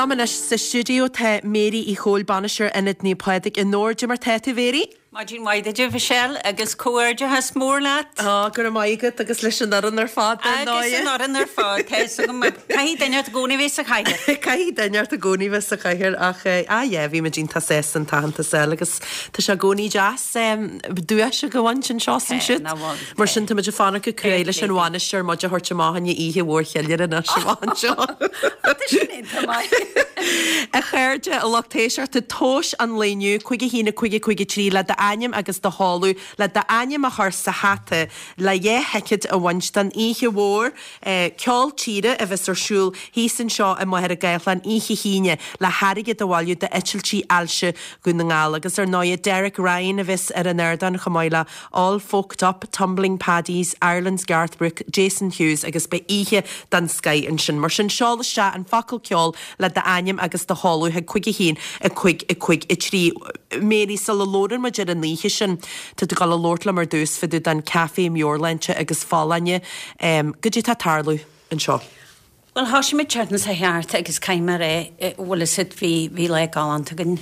Liom anois sa stiúideo tá Mary Uí Chomhaill, Bainisteoir Ionad Naomh Pádraig i nDobhar. Cad é mar tá tú, Mary? Maidin mhaith duit, a Mhichelle, agus comhghairdeachas mór leat. Á, go raibh maith agat, agus leis an fhoireann ar fad, dar ndóigh. Agus an fhoireann ar fad, tá fhios agam. Caithfidh duine ort i gcónaí bheith sa chathaoir. Caithfidh duine ort i gcónaí bheith sa chathaoir, ach, á yeah, bhí muid iontach sásta an t-aitheantas a fháil agus tá sé i gcónaí deas duais a bhaint anseo is ansiúd. Mar sin, tá muid ag fanacht go cruaidh leis an bhainisteoir muid a thabhairt amach ina oíche mhór cheiliúradh anois amach anseo. Tá sin iontach maith. A chairde, a lucht éisteachta, tomhais an lae inniu, 5 1 5 5 3 le d'ainm agus do sheoladh, le d'ainm a chur sa hata le dhá thicéad a bhaint don oíche mhór ceol tíre a bheas ar siúl thíos anseo i Machaire Gathlán oíche hAoine le hairgead a bhailiú d'eitiltí ailse Dhún na nGall. Agus ar ndóighe Derek Ryan a bheas ar an ardán chomh maith le All Folked Up, Tumbling Paddies, Ireland's Garth Brooks, Jason Hughes agus beidh oíche den scoith ansin. Mar sin, seol isteach an focal ceol le d'ainm agus do sheoladh chuig 5 1 5 5 3. Mary, sula labhrann muid ar an oíche sin, tá tú ag dul a labhairt liom ar dtús fá dtaobh den Café Meabhairshláinte agus Folláine. Goidé tá ag tarlú anseo? Bhuel, thosaigh muid an tseachtain seo thart agus caithfidh mé a rá, bhfuil fhios agat, bhí, bhí lá galánta againn.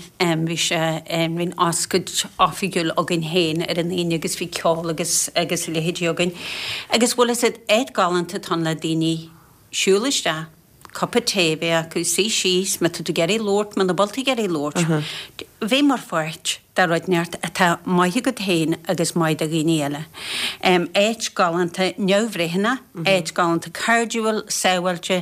Bhí sé, bhí an oscailt oifigiúil againn féin ar an Aoine agus bhí ceol agus, agus a leithéidí againn. Agus bhfuil fhios agat, áit galánta atá ann le daoine siúl isteach, cupa tae a bheith acu, suí síos, má tá tú ag iarraidh labhairt, muna bhfuil tú ag iarraidh labhairt, bheith mar pháirt de rud inteacht atá maith agat féin agus maith do dhaoine eile. Áit galánta neamhbhreithiúnach, áit galánta cairdiúil, sábháilte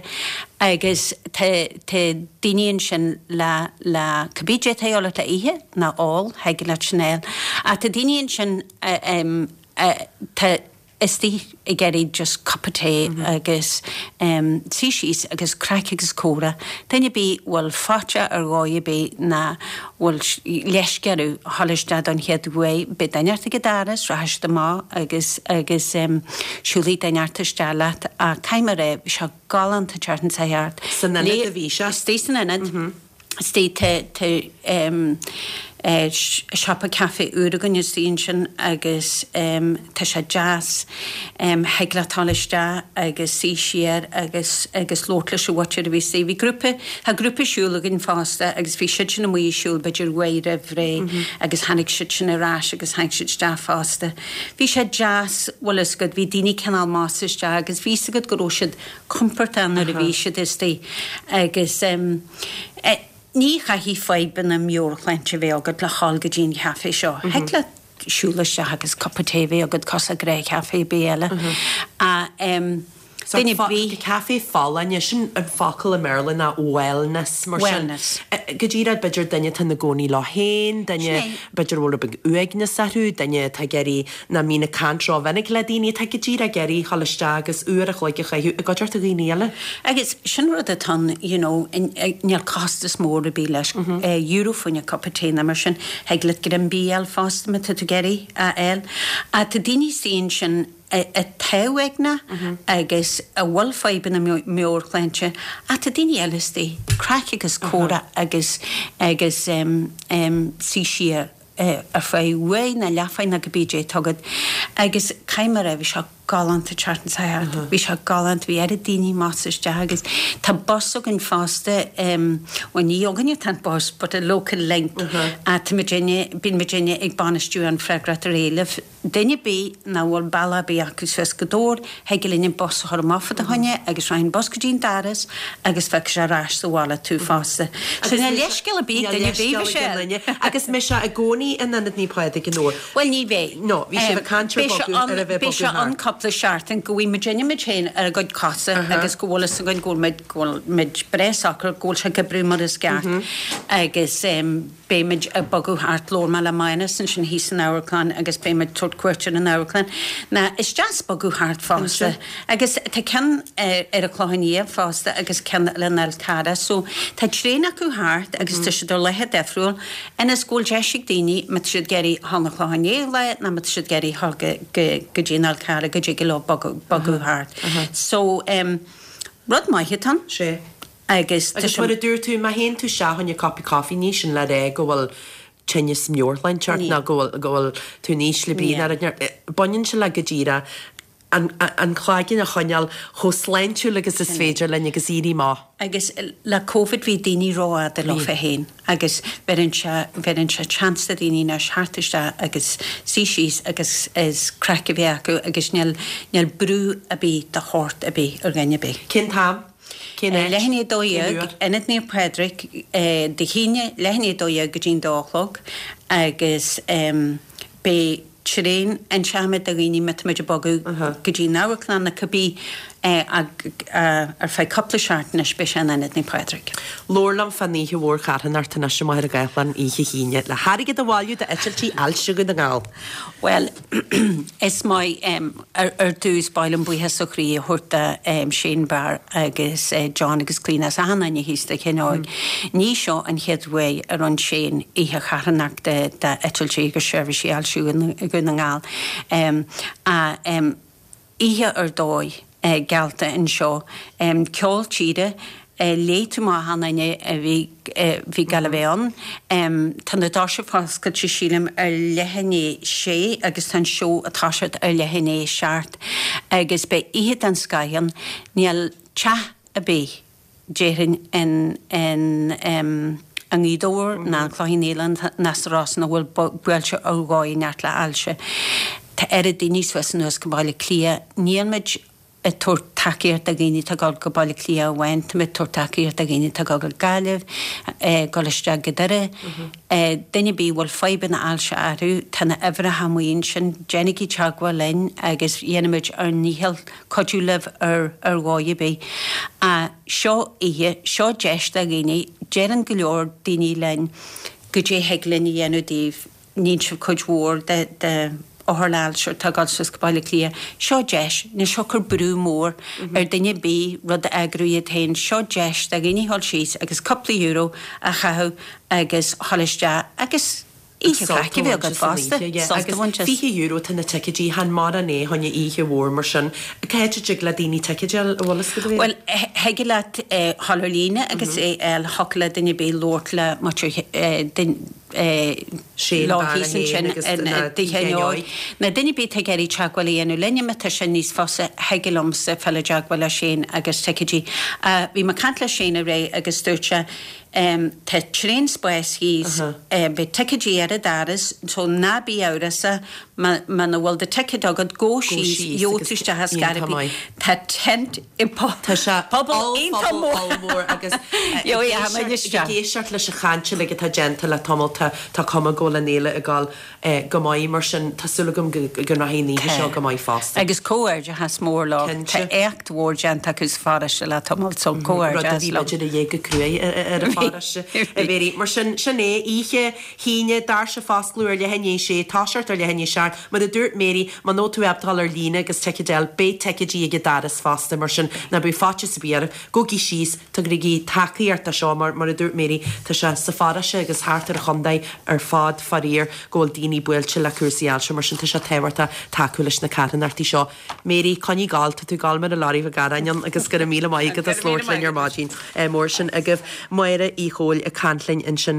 agus tá tá daoine ansin le le cibé cad é atá a dhíobháil ort le ithe nó ól, thig leat sin a fháil. Ach tá daoine ansin atá istigh ag iarraidh just cupa tae agus suí síos agus craic agus comhrá. Duine ar bith a bhfuil faitíos ar dhóigh ar bith ná bhfuil leisce orthu a dhul isteach don chéad uair, beidh duine ort ag an doras, rachaidh siad amach agus agus siúlfaidh duine ort isteach leat ach caithfidh mé a rá, bhí sé galánta an tseachtain seo thart. San ionad a bhí sé? Istigh san ionad. Istigh tá siopa caife úr againn istigh ansin agus tá sé deas. Thig leat dul isteach agus suí siar agus agus labhairt leis an mhuintir a bhí istigh. Bhí grúpa, tá grúpa siúil againn fosta agus bhí siad sin amuigh ag siúl b'fhéidir uair roimh ré agus tháinig siad sin ar ais agus tháinig siad isteach fosta. Bhí sé deas, bhfuil fhios agat, bhí daoine cineál measctha isteach agus bhí fhios agat go raibh siad compordach nuair a bhí siad istigh agus ní chaithfidh fadhbanna meabhairshláinte a bheith agat le dhul go dtí an chaifé seo. Thig leat siúl isteach agus cupa tae a bheith agat cosúil le gnáthchaife ar bith eile. Ach duine ar bith. Caife folláine, sin an focal i mBéarla ná wellness mar sin. Wellness. Go díreach b'fhéidir duine atá ina gcónaí leo féin, duine b'fhéidir a bhfuil rud beag uaigneas orthu, duine atá ag iarraidh nach mbíonn ag caint rómhinic le daoine atá go díreach ag iarraidh dhul isteach agus uair a chloig a chaitheamh i gcuideachta dhaoine eile. Agus sin rud atá ann, you know, níl costas mór ar bith leis, euro fá choinne cupa tae nó mar sin, thig leat greim bídh a fháil fosta má tá tú ag iarraidh a fháil. Ach tá daoine istigh ansin atá uaigneach agus a bhfuil fadhbanna meabhairshláinte ach tá daoine eile istigh, craic agus comhrá agus agus suí siar. ar feadh uair nó leathuair nó cibé cad é atá agat agus caithfidh mé a rá bhí sé galánta an tseachtain seo thart, bhí sé galánta, bhí oiread daoine measctha isteach agus tá bus againn fosta, bhuel ní againne atá an bus but a Local Link, tá muidinne, bíonn muidinne ag bainistiú an freagracht ar éileamh. Duine ar bith nach bhfuil bealach ar bith acu suas go Dobhar, thig linn an bus a chur amach fá do choinne agus rachaidh an bus go dtí an doras agus feicfidh sé ar ais sa bhaile tú fosta. So níl leithscéal ar bith ag duine ar bith, Michelle. Agus mbeidh sé i gcónaí in Ionad Naomh Pádraig i nDobhar? Bhuel ní bheidh. No, bhí sibh ag caint ar bogadh, ar a bheith bogadh thart. Beidh sé ann cúpla seachtain go bhfaighidh muidinne muid féin ar ár gcuid cosa agus go bhfuil fhios againn go bhfuil muid, go bhfuil muid breá socair, go bhfuil sé ag oibriú mar is ceart agus. Beimid ag bogadh thart. Labhair mé le Maghnus ansin thíos san amharclann agus beimid ag tabhairt cuairt ar an amharclann. Ná is deas bogadh thart fosta. Agus tá ceann ar an Chlochán Liath fosta agus ceann eile in Fhál Carrach. So tá traein acu thart agus tá siad ar laetha difriúil ionas go bhfuil deis ag daoine má tá siad ag iarraidh dhul 'na Clochán Liath lá nó má tá siad ag iarraidh dhul go go dtí an Fhál Carrach go dtig leo bogadh bogadh thart. So rud maith atá ann. Sea. Agus tá Agus sé. mar a dúirt tú, má théann tú isteach fá choinne cupa coffee, ní sin le rá go bhfuil tinneas meabhairshláinte ort Ní. ná go bhfuil, go bhfuil tú in ísle brí Ní. ná rud. Baineann sé le go díreach. An cloigeann a choinneáil chomh sláintiúil agus is féidir linn agus éirí amach. Agus le Covid bhí daoine rófhada leofa féin agus bheireann sé, bheireann sé chance do dhaoine anois theacht isteach agus suí síos agus is craic a bheith acu agus níl, níl brú ar bith de shórt ar bith ar dhuine ar bith. Cén t-am? Cén áit? Leath i ndiaidh 12, Ionad Naomh Pádraig, Dé hAoine, leath i ndiaidh 12 go dtí'n dó a chlog agus beidh traein inseoidh do dhaoine má tá muid ag bogadh go dtí an amharclann nó cibé ar feadh cúpla seachtain anois beidh sé in Ionad Naomh Pádraig. Labhair liom fán oíche mhór charthanachta anois i Machaire Gathlán oíche hAoine le hairgead a bhailiú d'eitiltí ailse Dhún na nGall. Bhuel, is maith, ar dtús, ba mhaith liom buíochas ó chroí a thabhairt do Shane Barr agus John agus Clíona is achan duine thíos Tigh Sheáin Óig. Ní seo an chéad uair a rinne Shane oíche charthanachta d'eitiltí agus seirbhísí ailse Dhún na nGall. Oíche ar dóigh geallta anseo. Ceol tíre, léigh tú amach achan duine a bhí bhí ag gabháil a bheith ann. Tá na doirse foscailte sílim ar leath i ndiaidh sé agus tá an seó ag toiseacht ar leath i ndiaidh seacht agus beidh oíche den scoth ann. Níl teach ar bith déarfainn in in i nGaoth Dobhair ná an Clochán Liath ná sa Ros nach bhfuil buailte ar dhóigh inteacht le hailse. Tá oiread daoine suas anuas go Baile Átha Cliath. Níl muid ag tabhairt tacaíocht do dhaoine atá ag dul go Baile Átha Cliath amháin, tá muid ag tabhairt tacaíocht do dhaoine atá ag dul go Gaillimh, ag dul isteach go Doire. Duine ar bith a bhfuil fadhbanna ailse orthu, tá na uimhreacha amuigh ansin, déanaigí teagmháil linn agus dhéanfaimid ár ndícheall cuidiú libh ar ar dhóigh ar bith. Seo oíche, seo deis do dhaoine, deireann go leor daoine linn goidé thig linn a dhéanamh daoibh, níonn sibh cuid mhór de de othair le hailse atá ag dul suas go Baile Átha Cliath. Seo deis, níl seo ag cur brú mór ar duine ar bith rud a eagrú iad féin, seo deis do dhaoine dhul síos agus cúpla euro a chaitheamh agus dhul isteach agus Oíche chraic a bheith agat fosta. Sult a bhaint as. Agus €20 atá na ticéidí, chan mórán é fá choinne oíche mhór mar sin. Cá háit a dtig le daoine ticéid a fháil, an bhfuil fhios agat a Mhéirí? Bhuel, thig leat dhul ar líne agus é a fháil, thiocfadh le duine ar bith labhairt le muintir Shane leo thíos ansin i dTigh Sheáin Óig. Nó duine ar bith atá ag iarraidh teagmháil a dhéanamh linne, má tá sin níos fusa, thig liomsa fáil i dteagmháil le Shane agus ticéidí. Bhí mé ag caint le Shane aréir agus dúirt sé, Tá tréan spáis thíos, beidh ticéidí ar an doras, so ná bí amhrasach muna bhfuil do ticéad agat, gabh síos, gheobhaidh tú isteach ar scor ar bith. Tá tent i puball iontach mór. ollmhór agus ag éisteacht leis an chaint uilig atá déanta le tamall tá cuma go bhfuil an fhéile ag dul go maith, mar sin tá súil agam go rachaidh an oíche seo go maith fosta. Agus comhghairdeachas mór leo. Tá éacht mhór déanta acu sa pharóiste le tamall, so comhghairdeachas leo. Rud a bhí b'fhéidir a dhíth go cruaidh ar an pharóiste, a Mhéirí. Mar sin, sin é, oíche hAoine, doirse ag foscladh ar leath i ndiaidh sé, toiseacht ar leath i ndiaidh seacht. Mar a dúirt Mary, muna bhfuil tú ábalta dul ar líne agus ticéad a fháil, beidh ticéidí ag an doras fosta, mar sin ná bíodh faitíos ar bith oraibh. Gabhaigí síos, tugaigí tacaíocht do seo, mar, mar a dúirt Mary, tá sé sa pharóiste agus thart ar an chontae ar fad, faraor, go bhfuil daoine buailte le cúrsaí ailse, mar sin tá sé tábhachtach tacú leis na carthanachtaí seo. Mary, coinnigh ag gabháil, tá tú ag gabháil mar an leoraí bheag aráin ann agus go raibh míle maith agat as labhairt linn ar maidin. Mór sin agaibh. Máire Uí Chomhaill ag caint linn ansin.